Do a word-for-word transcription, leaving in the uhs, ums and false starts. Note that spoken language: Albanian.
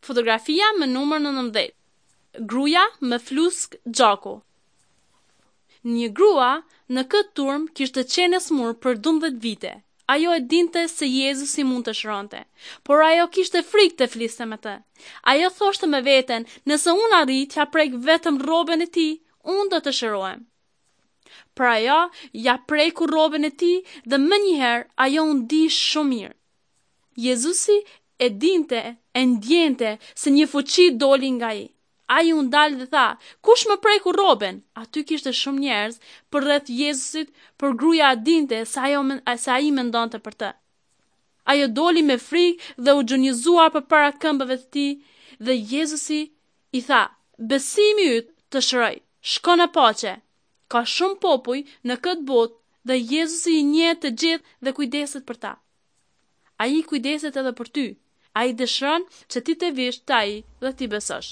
Fotografia me numër nëntëmbëdhjetë. Gruaja me fluskë gjaku. Një grua në këtë turmë kishte qenë e smur për dymbëdhjetë vite. Ajo e dinte se Jezusi mund të shëronte, por ajo kishte frikë të fliste me të. Ajo thoshte me veten, nëse unë arrij t'ja prek vetëm rrobën e tij, unë do të shërohem. Por ajo ja preku rrobën e tij dhe menjëherë ajo u ndi shumë mirë. Jezusi e dinte, e ndjente se një fuqi doli nga ai. Ai u ndal dhe tha, kush më preku rrobën? Aty kishte shumë njerëz përreth Jezusit, por gruaja dinte se ajo se ai mendonte për të. Ajo doli me frikë dhe u gjunjëzua përpara këmbëve të tij dhe Jezusi i tha, besimi yt të shëroi, shko në paqe. Ka shumë popuj në këtë botë dhe Jezusi i njeh të gjithë dhe kujdeset për ta. Ai kujdeset edhe për ty. Ai dëshiron që ti të vish te ai dhe t'i besosh.